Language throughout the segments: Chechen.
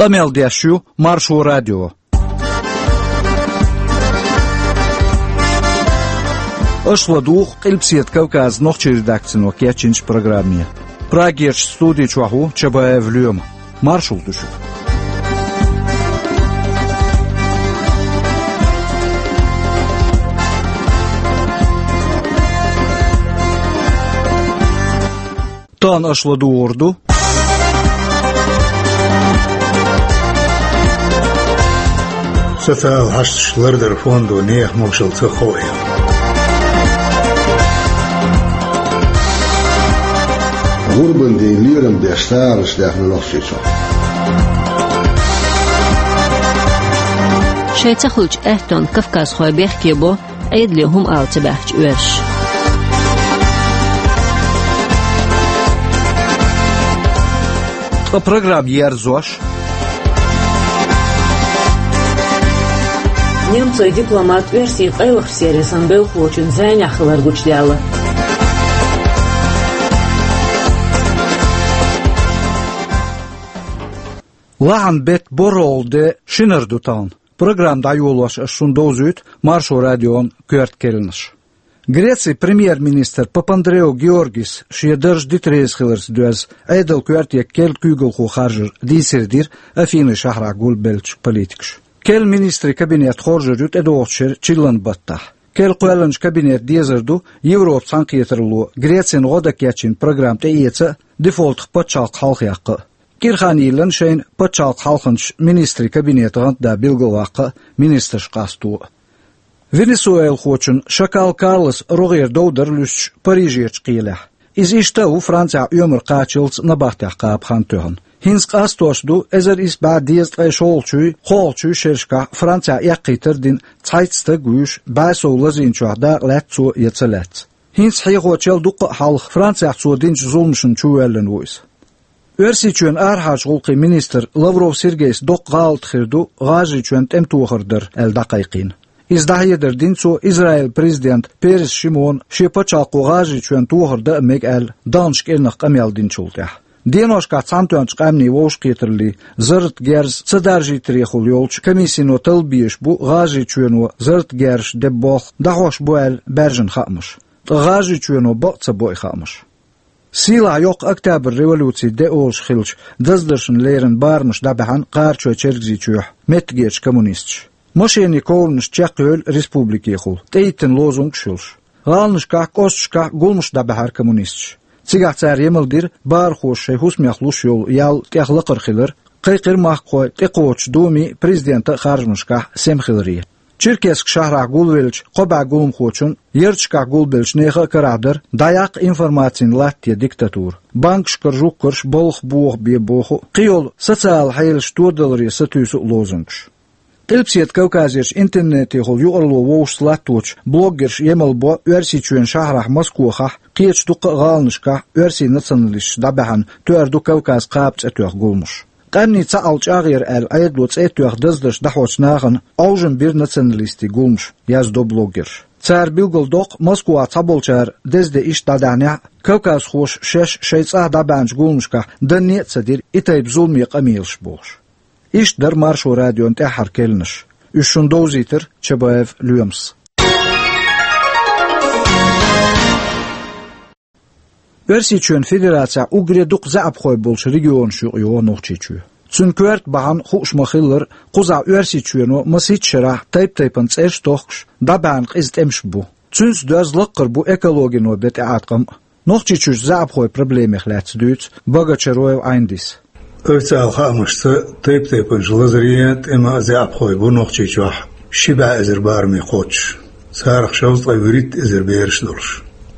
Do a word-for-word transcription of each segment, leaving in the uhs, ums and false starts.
Къамел деш ю Маршо радио. Аша ладугӀу Къилбаседа Кавказан нохчийн редакцино кечйинчу программе. Прагерчу студи чохь ву Чабаев Лоьма. Маршалла ду шуьга. Тахана аша ладугӀур ду социал хьашташ лардаран фондо нехан могушалла ца ховъян. ГӀурбан ден лерам беш сагӀанаш даьхна Нохчийчохь. Шайн ца хуьлучу аьттонна кавказхой бехке бо Ӏедале хӀума ала ца баьхча оьрсаша. Ткъа программа ерзош. Немцойн дипломат оьрсийн къайлахчу сервисан белхалочун зӀенехь хилар гучудаьлла. Лахьан беттан борхӀалгӀа де, шинара ду тахана. Программа дӀайолош ас шуна довзуьйту Маршо радион коьрта керланаш. Грецин премьер-министр Папандреу Георгис шен дарж дита реза хиларца доьзна, Ӏедалан коьрте керла куьйгалхо харжар дийцаре дира Афинин шахьарахь гулбеллачу политикаша. Керла министрийн кабинет хоржур ю тӀедогӀучу шеран чиллан баттахь. Керла кхоьллинчу кабинетан дезар ду Европан цхьаьнакхетаралло Грецина гӀо дан кечйина программа тӀеэца а, дефолтах пачхьалкх хьалхаяккха а. КӀира хан йиллина шайна пачхьалкхан хьалхарчу министрийн кабинетан гӀантда билгалваккха а, министраш къасто а. Венесуэлахочун Шакал Карлосан рогӀера дов дара луьстуш Парижерчу кхелехь. Иза иштта а ву Францехь оьмар кхачалц набахтехь кхаба хан тоьхна. ХӀинца къастош ду эзар исс бӀе дезткъе шолгӀачуй, кхоалгӀачуй шерашкахь Францехь эккхийтар а дина цхьайтта стаг вуьйш, бӀе сов лазийначохь дакъа лаьцна цо я ца лаьцна. ХӀинца хьехочул дуккха а хьалха Францехь цо динчу зуламашна чувоьллина ву иза. Оьрсийчоьнан арахьарчу гӀуллакхийн министр Лавров Сергейс доккха гӀалат хир ду ГӀажарийчоьнна тӀематохар дар аьлла дӀакхайкхийна. Иза дӀахьедар дина цо Израилан президента Перес Шимона шен пачхьалкхо ГӀажарийчоьнна тохар дан а мега аьлла, даханчу кӀирнах къамел динчул тӀаьхьа. Деношкахь Цхьаьнатоьхначу Къаьмнийн Вовшахкхетараллин зарратан герз ца даржийтарехула йолчу комиссино талла безаш бу ГӀажарийчоьно зарратан герзаш деба болх дӀахьош бу аьлла баьржина хаамаш. Ткъа ГӀажарийчоьно бакъ ца бо и хаамаш. Сийлахь йоккха Октябрь революцин де олуш хиллачу даздаршна леррина барамаш дӀабаьхьна Кхарачой-Чергазийчохь меттигерчу коммунисташа. Машенийн ковранаш чекхйевлла республикехула, тӀеиттина лозунгаш йолуш. ГӀаланашкахь, кӀошташкахь гуламаш дӀабаьхьара коммунисташа. Цигахь цара емал дира барахоша шайн хӀусамех луш йолу ял тӀех лакхара хилар, кхайкхира махкахой тӀекхочучу Думин, президентан а харжамашкахь сема хиларе. Черкесск шахьарахь гулвеллачу кхо бӀе гуламхочун, ярташкахь гулбеллачу нехан а карахь дара дӀаяккха информацин латта я диктатура, банкашкара жугташ балха боха бе боху а, кхийолу социалан хьелаш тодаларе сатуьйсу а лозунгаш. Къилбаседа Кавказерчу интернетехула юкъаралло вовшашца латточу блоггерша емал бо Оьрсийчоьнан шахьарахь Москохахь, кхечу дуккха а гӀаланашкахь оьрсийн националисташа дӀабаьхьна «Тоьар ду Кавказ» кхаба цӀе тоьхна гуламаш. Къаьмнийн цхьаалла чӀагӀъяра аьлла Ӏедало цӀе а тоьхна даздарш дӀахьочу нахана Ӏовжам бира националистийн гуламаш, яздо блоггерша. Цара билгалдоккху Москвахь цхьаболчара деза де иштта дӀадаьхьнехь а, кавказхоша шаьш шайн цӀахь дӀабаьхьначу гуламашкахь данне а ца дира и тайпа зуламе къамелаш бохуш. Иштта дара Маршо радион тӀаьххьара керланаш. Уьш шуна довзийтира Чабаев Лоьмас. Оьрсийчоьнан Федерацехь уггаре дукха заьӀапхой болчу регионаш юкъа йогӀу Нохчийчоь. Цуьнан коьрта бахьана хууш ма-хиллара, кхузахь Оьрсийчоьно масийтта шарахь тайп-тайпана цӀераш а тохкуш, дӀабаьхьна къиза тӀемаш бу. Цуьнца доьзна лаккхара бу экологино бен тӀеӀаткъам а. Нохчийчуьрчу заьӀапхойн проблемех лаьцна дуьйцу Богочароев Ӏайндис. Официалан хаамашца, тайп-тайпанчу лазарийн а, тӀеман а заьӀапхой бу Нохчийчохь ши бӀе эзар бараме кхочуш. Царах шовзткъе вуьрхӀитта эзар бераш долуш.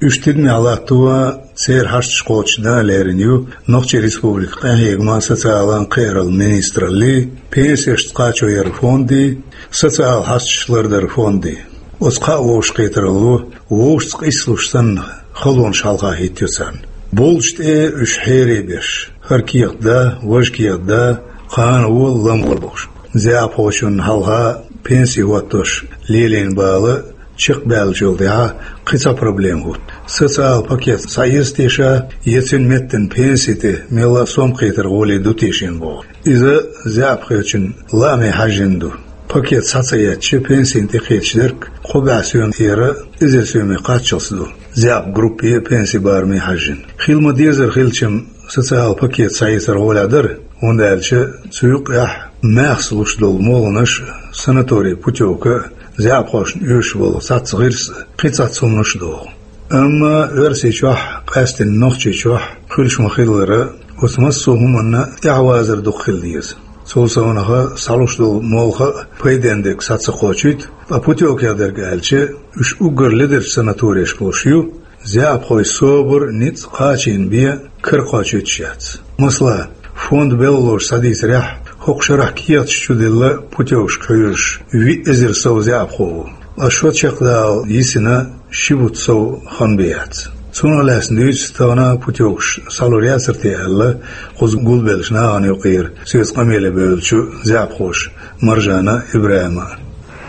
Уьш тидамехь латто а, церан хьашташ кхочушдан а лерина ю Нохчийн Республикан къинхьегаман, социалан а, кхиараллин министраллин, пенсешца кхачо яран фондийн, социалан хьашташ лардаран фондийн. Оцу кхаа вовшахкхетаралло вовшашца къийсалуш санна халонаш хьалха хӀиттайо царна. Болчу тӀе уьш хьере беш, хӀара кехат да, важа кехат да, кхана вон, лам вон бохуш. ЗаьӀапхочунна хьалха пенси хӀоттош лелийна бала чекхбаьллачул тӀаьхьа кхин цхьа проблема хӀутту. Социал пакет схьаэца теша, я цуьнан меттана пенси тӀе мелла а сом кхетар гӀоле ду тешийна боху. Иза заьӀапхочун лааме хьаьжжина ду. Пакет схьа ца эцча, пенсина тӀекхеташ дерг кхо бӀе соьмера эзар соьме кхаччалц ду. ЗаьӀап группе а, пенси бараме а хьаьжжина. Хила ма-дезара хилча-м, социал пакет схьаэцар гӀоле дара, хӀунда аьлча цу юкъехь маьхза луш долу молханаш, санаторий путевка, заьӀапхошна оьшуш болу цхьацца гӀирс, кхин цхьацца хӀуманаш а догӀу. Амма Оьрсийчохь, къаьсттина Нохчийчохь хуьлуш ма-хиллара, оцу массо а хӀуманна тӀаьхьавазар дукха хила деза. Цул совнаха, схьалуш долу молха а пайденна дерг схьа ца кхочуьйту, ткъа путевкех дерг аьлча, уьш уггар ледерчу санаторешка луш ю, заьӀапхойн собар, ницкъ, кхачийна бен кара кхочуьйтуш яц. Масала, фонд белхалоша схьадийцарехь, хӀокху шарахь кехаташ чуделла путевкашка хьоьжуш виъ эзар сов заьӀапхо ву. Ткъа шо чекхдала йисина ши бутт сов хан бен яц. Цунах лаьцна дуьйцу тахана путевкаш схьалур яцара те аьлла, кхуза гулбеллачу нахана юкъара соьца къамеле бевллачу заьӀапхоша Маржана Ибрахьима.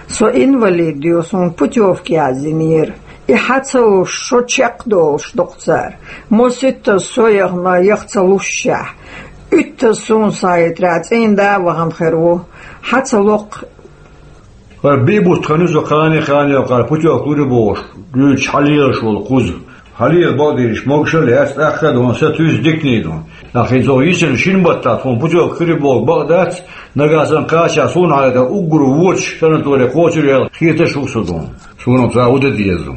Со инвалид ю, суна путевка яздинера. И хьа ца луш, шо чекхдолуш ду-кх цара. Маситтаза со яхана, яха ца лушшехь, уьттаза суна схьахетарехь, цӀийнда а вахана хир ву. Хьа ца ло-кх. ХӀара биъ бутт хан ю со кхане-кхане кхара путевка лур ю бохуш, дуьйцуш хьалелаш волу кхуза. Хьалела бакъдерг могушалла яц, тӀаккха а ду, са туьйсу диканиг ду. Нах хӀинца оха йисина шина баттахь тхуна путевка хир ю боху бакъ дац, нагахь санна кхачахь суна хьалха уггар вочу санаторе кхочур яла хеташ ву со ду. Суна-м ца хӀу дан деза ду.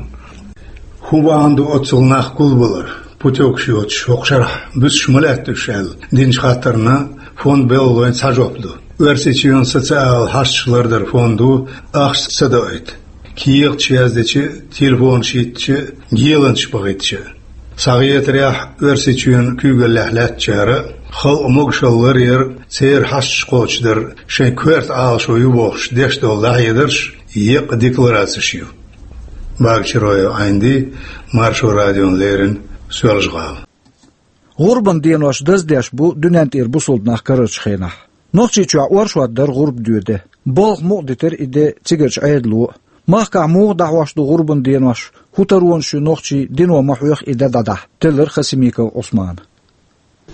ХӀун бахьана ду оццул нах гулбалар, путевкаш йоцуш хӀокху шарахь буьсуш ма лаьтта уьш аьлла динчу хаттарна фонд белхалойн цхьа жоп ду. Оьрсийчоьнан социал хьашташ лардаран фондо ахча ца доуьйту. Кехаташ яздича, телефонаш йиттича, геланаш бахийтича. Схьахетарехь, Оьрсийчоьнан куьйгаллехь лаьттачара, халкъан могушалла ларъяр, церан хьашташ кхочушдар шайн коьрта Ӏалашо ю бохуш деш долу дӀахьедарш еккъа декларацеш ю. Багачироев Ӏайнди, Маршо радиона леррина, Соьлжа-ГӀала. ГӀурбан денош даздеш бу дуьнен тӀера бусалба нах карарчу хенахь. Нохчийчохь оршот дара гӀурба доьде. Балха мукъадитира и де цигарчу Ӏедало а. Махкахь муха дӀахьош ду гӀурбан денош, хӀун таронаш ю нохчийн, дино ма хьоьху и де дӀадахьа, теллира Хасимиков Ӏусмана.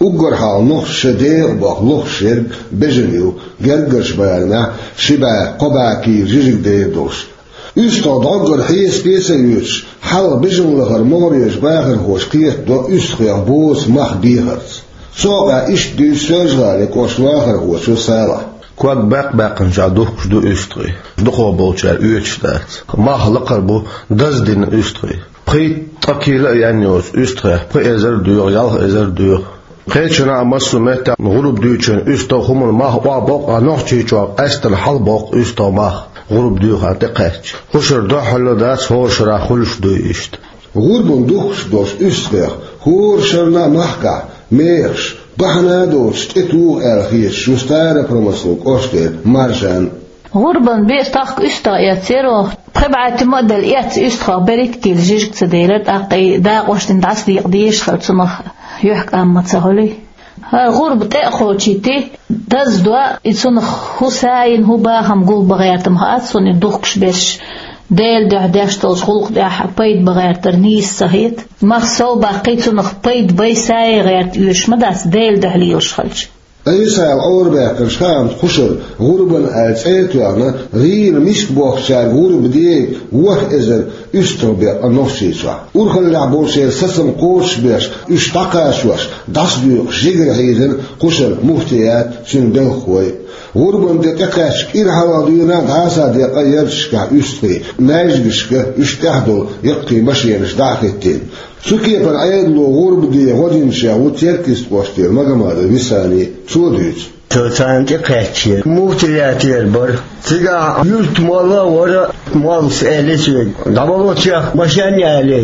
Уггар хьалха нохчаша декъа боху лохуш ерг бежана ю, гергарчу барамехь ши бӀе, кхо бӀе кийла жижиг дер долуш. УьстагӀ дӀоггара хьесапе а ца оьцуш, хьалха бежана лахара могӀарерчу бахархоша кхетадо уьстагӀех боцу мах бехарца. Цу хьокъехь иштта дуьйцу Соьлжа-ГӀалин кӀоштан вахархочо Салахьа. Ког баьккха-баьккхинчохь духкуш ду уьстагӀий, дукхах болчара оьцуш дац. Мах лакхара бу даздина уьстагӀий. Пхийтта-ткъа кийла а яьнна йоцу уьстагӀех пхи эзар доьху, ялх эзар доьху. Кхечанхьа массо а меттехь гӀурба дуьйцучу уьстагӀан хӀуманан мах охьабоккху, а Нохчийчохь къаьсттина хьалабоккху уьстагӀан мах, гӀурба доьхурна тӀекхаьчча. Кху шарахь дуьххьарло дац, хӀора шарахь хуьлуш дуй иштта. ГӀурбана духкуш долчу уьстагӀех хӀора шарна а махкахь мехаш, бахьана а доцуш, тӀетуху аьлла хеташ ву Старопромыслан кӀоштара Маржан. ГӀурбан бен тахка уьстагӀ эцна, пхи бӀе тима а делла эцна уьстагӀех берхӀитта кийла жижиг ца делира, тӀаккха и дакъош дина дӀасадекъа дезаш хилла, цунах юьхькӀам ма ца хуьлий. ХӀара гӀурба тӀе а кхочуьйтий, даздо, и цунах хӀун сайна, хӀун бахам гулбан гӀерта ма хаьа суна, и духкуш берш Делан дуьхьа деш долчу гӀуллакх тӀехь пайда бан гӀертар нийса ца хета. Мах сов баккхий, цунах пайда бай, сай гӀерта оьшуш ма дац, Делан дуьхьа лелаш хилча. Ӏийсас Ӏорабаьккхинчу хаамца кху шарахь гӀурбан аьлла цӀе а тоьхна, гӀийла миска бохкучаьрга гӀурба дега ворхӀ эзар уьстагӀ бекъна Нохчийчохь. Урхаллехь болчеран сацам кхочушбеш, уьш дӀакхачош, дӀасадоькъуш жигара хьийзина кху шарахь муфтият а, цуьнан белхалой а. ГӀурбан де тӀекхаьчча кӀира хьалха дуьйна а, дӀа а схьадекъна ярташкахь уьстагӀий, маьждигашка уьш тӀехь долу яккхий машенаш дӀа а хӀиттийна. Цу кепара Ӏедало гӀурба де гӀо динчех ву Теркйист кӀоштара Магомадов Висани. Цо дуьйцу. Со царна тӀекхаьчча, муфтиятера бара. Цигахь юьртан молла а вара, моллас элира соьга: «ДӀавало цех машен», — аьлла.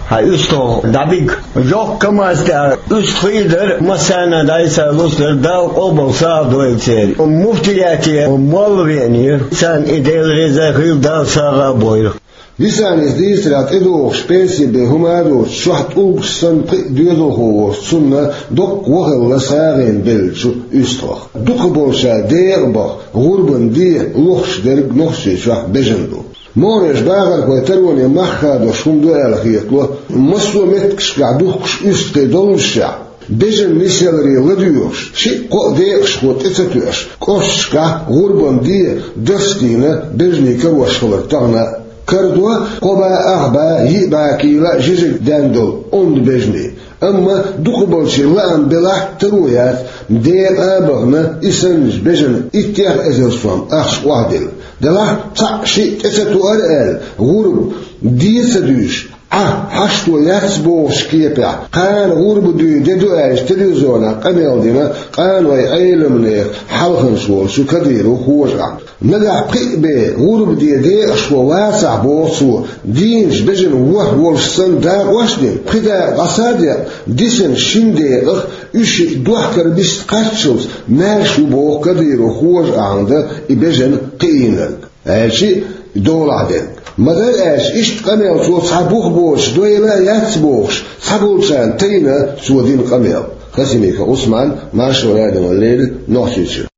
Хьан уьстагӀ дӀабига. Йоккха КамАЗ тӀехь уьстагӀий дара, массарна а дӀасалуш дара, Дала къобал сагӀа дойла церан. Муфтияте молла веанера, царна и Дела реза хуьлда, Дала сагӀа а бойла. Висанис дийцарехь, тӀедогӀуш пенси бен хӀума а доцуш, чохь тӀулгаш санна пхиъ доьзалхо волчу цунна доккха вахалла сагӀина беллачу уьстагӀах. Дукхахболчара декъа баха гӀурбан де лохуш дерг Нохчийчохь бежана ду. Могӏанерчу бахархойн тароне мах хадош хӀума ду аьлла хетало, массо а меттигашкахь духкуш уьстагӀий доллушехь, бежан нисъяларе ладоьгӀуш, шиъ-кхоъ декъашхо тӀе ца тоьуш, кӀошташкахь гӀурбан де дарс дийна бежанийн карош хилар тахана а. Карадо кхо бӀе, ах бӀе, йиъ бӀе кийла а жижиг даьнна долу онда бежанийн. Амма дукхахболчийн лаам белахь а таро яц, декъа а бахана, и санначу бежанна иттех эзар сом ахча охьадилла. Делахь цхьаъ-шиъ тӀе ца тоьар аьлла, гӀурба де ца дуьйш, Ӏа хьашто яц бохучу кепехь, кхана гӀурба дуьйна де ду аьлча, телевизионехь къамел дина къанойн Ӏеламнехан хьалханча волчу Кадыров Хожа. Нагахь пхиъ бен гӀурба де декъашхо вацахь, боху цо, дийначу бежанна ворхӀ волуш санна дакъош а дина, пхи дакъа дӀаса а декъна, дисина шина декъах уьш шиъ дохкар бист кхаччалц маьрша ву, боху Кадыров Хожа, ахьа дан и бежан кхиийнарг, аьлча а долахь дерг. Ма-дарра аьлча, иштта къамел цо цхьа бух боцуш дойла а яц бохуш, цхьаболчарна тайна цо дина къамел. Хасимиков Ӏусман, Маршо радиона леррина, Нохчийчоь.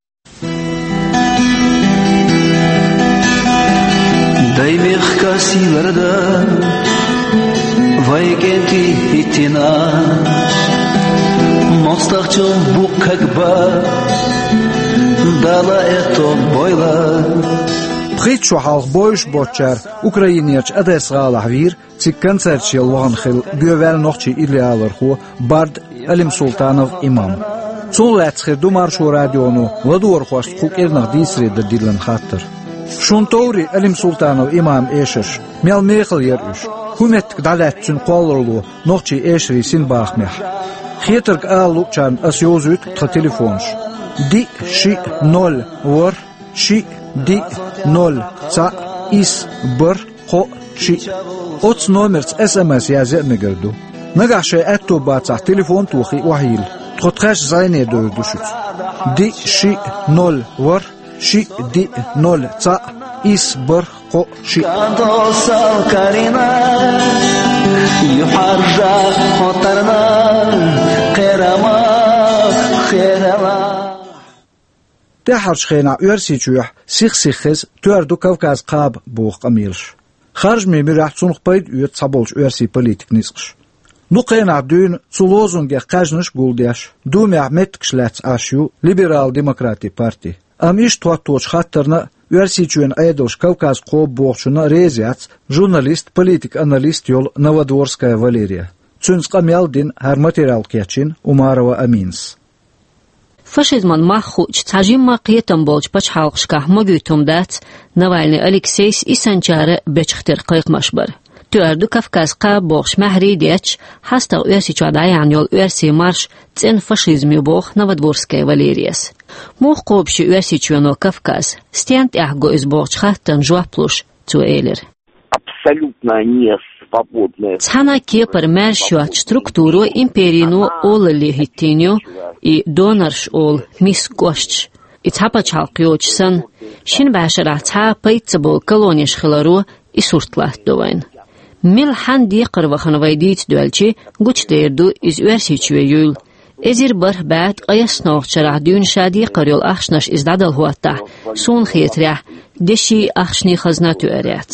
Дай мехкан сийлара дан, вай кӀентий хӀиттина, мостагӀчун буккаг бан, Дала аьтто бойла. Пхийтта шо хьалха бовзуш боцчара Украинерчу Одесса-гӀалахь вийра, цига концерташ яла вахана хилла гоьваьлла нохчийн идеаллархо, бард Алимсултанов Имам. Цунах лаьцна хир ду Маршо радионо ладогӀархошца кху кӀирнах дийцаре дан диллина хаттар. Шуна товрий Алимсултанов Имаман эшарш? Мел мехала яра уьш? ХӀун меттиг дӀалаьцна цуьнан кхолларалло нохчийн эшарийн синбахамехь? Хетарг ала луучарна ас йовзуьйту тхан телефонаш: диъ, шиъ, ноль, ворхӀ, шиъ, диъ, ноль, цхьаъ, исс, бархӀ, кхоъ, шиъ. Оцу номерца эс эм эс язъян а мегар ду. Нагахь шайн аьтто бацахь, телефон а тохий, охьайилла. Тхо тхаьш зӀене довр ду шуьца. Диъ, шиъ, ноль, ворхӀ, шиъ, диъ, ноль, цхьаъ, исс, бархӀ, кхоъ, шиъ. ТӀаьххьарчу хенахь Оьрсийчохь сих-сиха хеза тоьар ду Кавказ кхаба боху къамелаш. Харжамийн муьрехь цунах пайда оьцу цхьаболчу оьрсийн политикан ницкъаша. Дукха хенахь дуьйна цу лозунгех кхаьжнаш а гулдеш, Думехь меттигаш лаьцна Ӏаш ю Либерал-демократийн парти. Амма иштта хӀотточу хаттарна а, Оьрсийчоьнан Ӏедалша Кавказ кхоба бохучунна а реза яц журналист, политик-аналист йолу Новодворская Валерия. Цуьнца къамел а дина, хӀара материал кечйина Умарова Аминас. Фашизман мах хуучу, цхьа жимма кхетам болчу пачхьалкхашкахь могуьйту хӀума дац Навальный Алексейс и санначара бечах тера кхайкхамаш бар. Тоьар ду Кавказ кхаба бохуш маьхьарий а детташ, хьастагӀа Оьрсийчохь дӀаяьхьна йолу оьрсийн марш цӀена фашизм ю, боху Новодворская Валерияс. Муха кхобуш ю Оьрсийчоьно Кавказ, стенна тӀехь го иза бохучу хаттарна жоп луш, цо элира: Абсолютно не свободная. Цхьана кепара маьрша йоцучу структуро, империно олалле хӀиттийна ю и донорш олу миска кӀошташ. И цхьа пачхьалкх йоцуш санна, шина бӀешарахь цхьа а пайда ца болу колонеш хиларо и сурт латтадо вайна. Мила хьанна декхар вахана вай дийца доьлчи, гучудер ду иза Оьрсийчоь юйла. Эзар бархӀ бӀе ткъаяссанхьа шарахь дуьйна ша декхар йолу ахчанаш иза дӀадала хӀоттахь, суна хетарехь, деши ахчанийн хазна тоьар яц.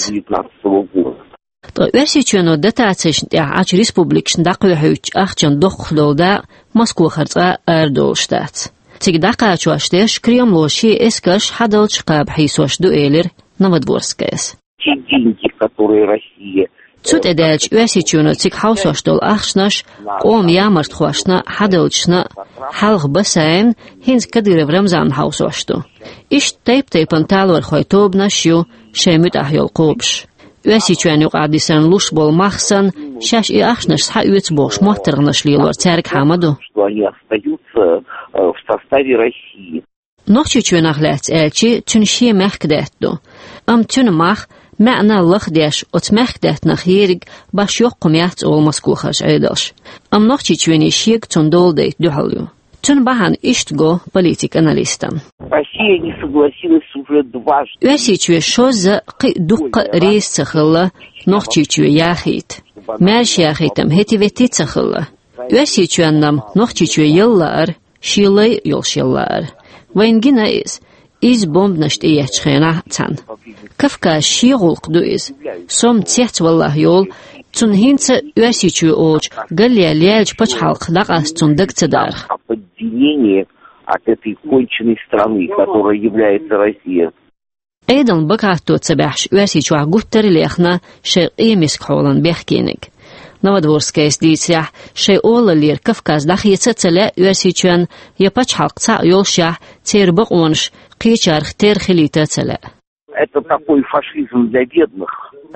Ткъа Оьрсийчоьно дотацешна тӀехь Ӏачу республикашна дӀакхоьхьуьйтучу ахчанан доккхах долу дакъа Москохара цкъа а арадолуш дац. Цига дӀакхачош дерш Кремло шен эскарш хьадалча кхаба хьийсош ду, элира Новодворскаяс. Те деньги, которые Россия Цу тӀе даьлча, Оьрсийчоьно цига хьовсош долу ахчанаш къоман ямартхошна а, хьадалчашна а, хьалха Басаевна, хӀинца Кадыров Рамзанна хьовсош ду. Иштта тайп-тайпана талорхойн тобанаш а ю шайн муьтӀахь йолу кхобуш. Оьрсийчоьнна юкъахь дисарна луш болу мах санна, шаьш и ахчанаш схьаоьцу бохуш моттаргӀанаш лелор цаьргахьа ма ду. Что они остаются, э, в составе России. Нохчийчоьнах лаьцна аьлчи, цуьнан шен мехкадаьтта ду. Амма цуьнан мах, маьӀна лахдеш, оцу мехкадаттанах ерриг баш йоккха хӀума яц олу Москохарчу Ӏедалша. Амма Нохчийчоьне шега цунна дола дайта дуьхьал ю. Цуьнан бахьана иштта го политик-аналистан. Россия не согласилась уже дважды. Оьрсийчоь шозза а, кхин а дуккха а реза ца хилла Нохчийчоь яхийта. Маьрша яхийтам хӀетте-ветте ца хилла. Оьрсийчоьнна-м Нохчийчоь яла лаьара, шен лай а йолуш яла лаьара. Вайна гина иза. изза бомбанаш тӀееттачу хенахь цхьаьна. Кавказ шен гӀуллакх ду иза. Со-м цецваллахь йолу, цунна хӀинца Оьрсийчоь олучу галле леллачу пачхьалкхах дӀакъаста цунна дага ца дарх. От этой конченной страны, которая является Россия. Ӏедална бакъахьа ца баьхьаш, Оьрсийчохь гуттар а лехна шайн къематдешан хьолан бехкениг. Новодворскайс дийцарехь, шайн олаллера Кавказ дӀахеца а ца лаьа Оьрсийчоьнна, я пачхьалкх цхьаъ йолушехь, церан бакъонаш кхечарах терра хилийта а ца лаьа. Это такой фашизм для бедных.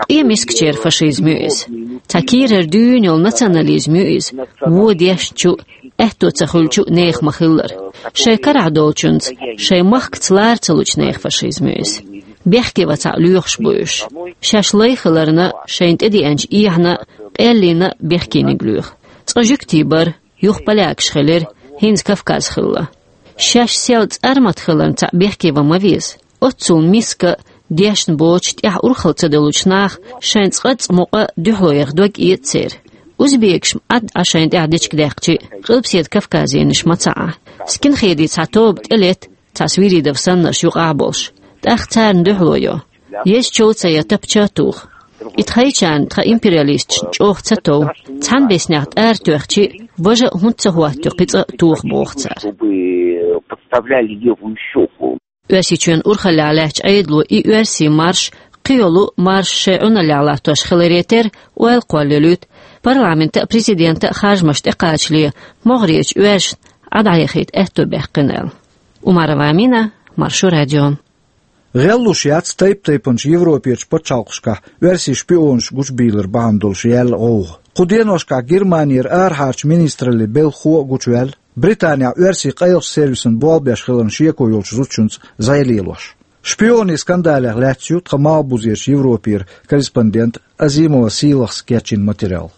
Къематдешан фашизм ю иза. Цхьа кийрара дуьйна йолу национализм ю иза. Вон дешначу, аьтто ца хуьлучу нехан ма-хиллара. Шайн карахь долчуьнца, шайн махкаца лара ца лучу нехан фашизм ю иза. Бехке вацахь лоьхуш бу уьш. Шаьш лай хиларна, шайна тӀедеанчу эхьана, къаьллина бехкениг лоьху. Цкъа жуьгтий бара, юха полякаш хилира, хӀинца Кавказ хилла. Шаьш сел цӀармат хиларна цхьаъ бехке ван ма веза. Оццул миска, дешна боцуш, тӀехь урхалла ца долучу наха шайн цкъацкъа мукъа дуьхьало яха дог эца церан. Узбекаш-м Ӏад Ӏа шайна тӀехь дечиг даьккхича, Къилбаседа Кавказенаш ма ца Ӏа. Скинхедийн цхьа тоба тӀелетта, цхьа Свиридов саннарш юкъахь болуш. ТӀаккха царна дуьхьало йо. Езачул ца я тапча а туха. И тхайчарна тхан империалисташна чӀогӀа ца тов. Цхьана беснех тӀара тоьхчи, важа а хӀунда ца хӀоттайо кхин цкъа а тоха боху цара. Чтобы подставляли левую щеку. Оьрсийчоьнан урхаллехь лаьттачу Ӏедало и оьрсийн марш, кхийолу марш шайн Ӏуналлехь латтош хиларе терра, ойла кхоллалуьйту, парламентан а, президентан а харжамаш тӀекхачале, могӀарерчу оьрсашна Ӏа дӀаяхийта аьтто баьккхина аьлла. Умарова Амина, Маршо радио. ГӀеллуш яц тайп-тайпанчу Европерчу пачхьалкхашкахь оьрсийн шпионаш гучубийлар бахьана долуш яьлла гӀовгӀа. Кху деношкахь Германера арахьарчу министраллин белхахо а гучуваьлла, Британехь оьрсийн къайлахчу сервисан болх беш хиларна шеко йолчу зудчуьнца зӀе лелош. Шпионийн скандалех лаьцна ю тхан Малхбузерчу Европера корреспондента Азимова Сийлахьас кечйина материал.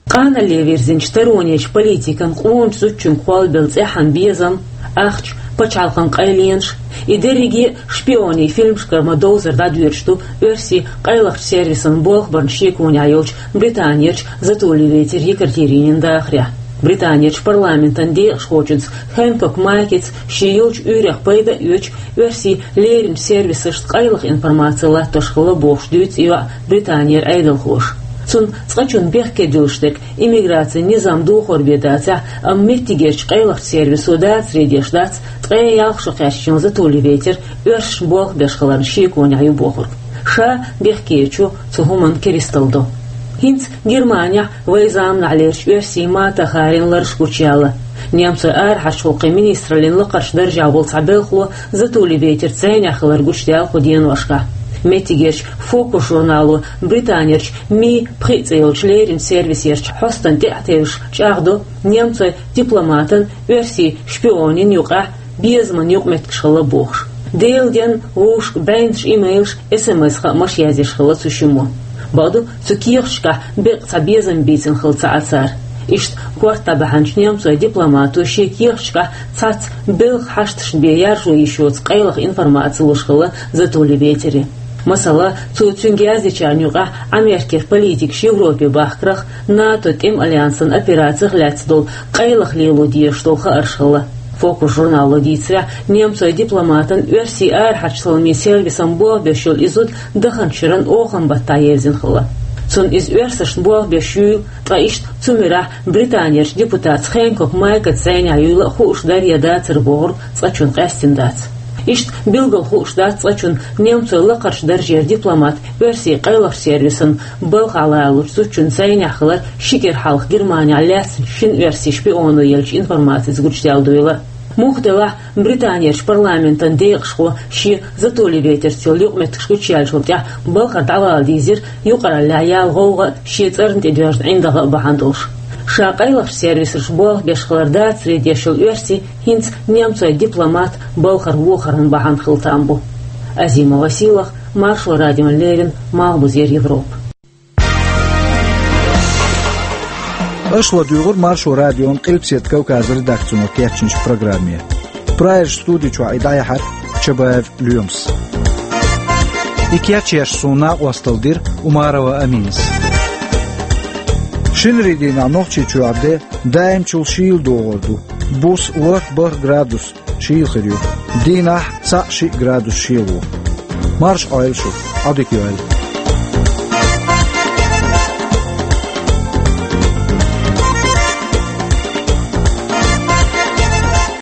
Къанале вирзинчу таронечу политикан къоначу зудчуьнга кхоллабелла цӀеххьана безам, ахча, пачхьалкхан къайленаш, и дерриге а шпионийн фильмашкара ма-довзара дӀадоьдуш ду оьрсийн къайлахчу сервисан болх барна шеконехь йолчу Британерчу Затулли-Ветер Екатеринин дахарехь. Британерчу парламентан декъашхочуьнца Хэнкок Майкица шен йолчу уьйрех пайда а оьцуш, оьрсийн леринчу сервисашца къайлаха информаци латтош хилла бохуш дуьйцу и йоӀ Британера Ӏедалхоша. Цунна цкъачунна бехке дуьллуш дерг иммиграцин низам духар бен дацахь, амма меттигерчу къайлахчу сервисо дацаре деш дац ткъе ялх шо кхаьчначу Затулли-Ветер оьрсашна болх беш хиларна шеконехь ю бохург. Ша бехкечу цу хӀуманна кристал до. ХӀинца Германехь вайн заманахьлерчу оьрсийн Мата Харин лараш гучуяьлла. Немцойн арахьарчу гӀуллакхийн министраллин лакхарчу даржехь волу цхьа белхало Затулли-Ветерца зӀенехь хилар гучудаьлла кху деношкахь. Меттигерчу «Фокус» журнало Британерчу Ми пхиъ цӀе йолчу леринчу сервисерчу хьостана тӀе а тевжаш чӀагӀдо, немцойн дипломатан оьрсийн шпионийн юкъахь безаман юкъаметтигаш хилла бохуш. Делан денна вовшашка бӀеннаш имейлаш, эс-эм-эс хаамаш язъеш хилла цу шиммо. Бакъду, цу кехаташкахь беккъа цхьа безам бийцина хилла ца Ӏа цара. Иштта корта дӀабахьанчу немцойн дипломато шен кехаташкахь цхьацца белхан хьашташна бен яржо йиш йоцу къайлаха информаци луш хилла Затулли-Ветере. Масала, цо цуьнга яздечарна юкъахь Америкера политикаш Европе бахкарх, НАТО тӀеман альянсан операцих лаьцна долу къайлаха лело дезаш долу хаарш хилла. «Фокус» журнало дийцарехь, немцойн дипломатан оьрсийн арахьарчу саламийн сервисан болх беш йолу и зуда даханчу шеран оханан баттахь евзина хилла. Цунна иза оьрсашна болх беш юйла, ткъа иштта цу муьрехь Британерчу депутатца Хэнкок Майкаца зӀенехь юйла а хууш дара я дацара бохург цкъачунна къаьстина дац. Иштта билггал хууш дац цкъачунна немцойн лакхарчу даржера дипломат оьрсийн къайлахчу сервисан балхахь лалучу зудчуьнца зӀенехь хилар ши кӀира хьалха Германехь лаьцначу шина оьрсийн шпионо еллачу информацица гучудаьлла дуйла. Муха делахь, Британерчу парламентан декъашхо шен Затулли-Ветерца йолу юкъаметтигаш гучуяьллачул тӀаьхьа балхара дӀавала дийзира юкъараллехь яьлла гӀовгӀа а, шен цӀарна тӀедоьжна ӀиндагӀа а бахьана долуш. Ша къайлахчу сервисаша болх беш хилар дацаре деш йолу оьрси хӀинца немцойн дипломат балхара вохаран бахьана хила там бу. Азимова Сийлахь, Маршо радиона леррина, Малхбузера Европа. Аша ладуьйгӀура Маршо радион Къилбаседа Кавказан редакцино кечйинчу программе. Прагерчу студи чохь и дӀаяьхьира Чабаев Лоьмас. И кечъеш суна накъосталла дира Умарова Аминас. Шинарин дийнахь Нохчийчохь де даимчул шийла догӀур ду. Буса ворхӀ-бархӀ градус шийла хир ю. Дийнахь цхьаъ-шиъ градус шело. Марша Ӏойла шу, Ӏодика йойла.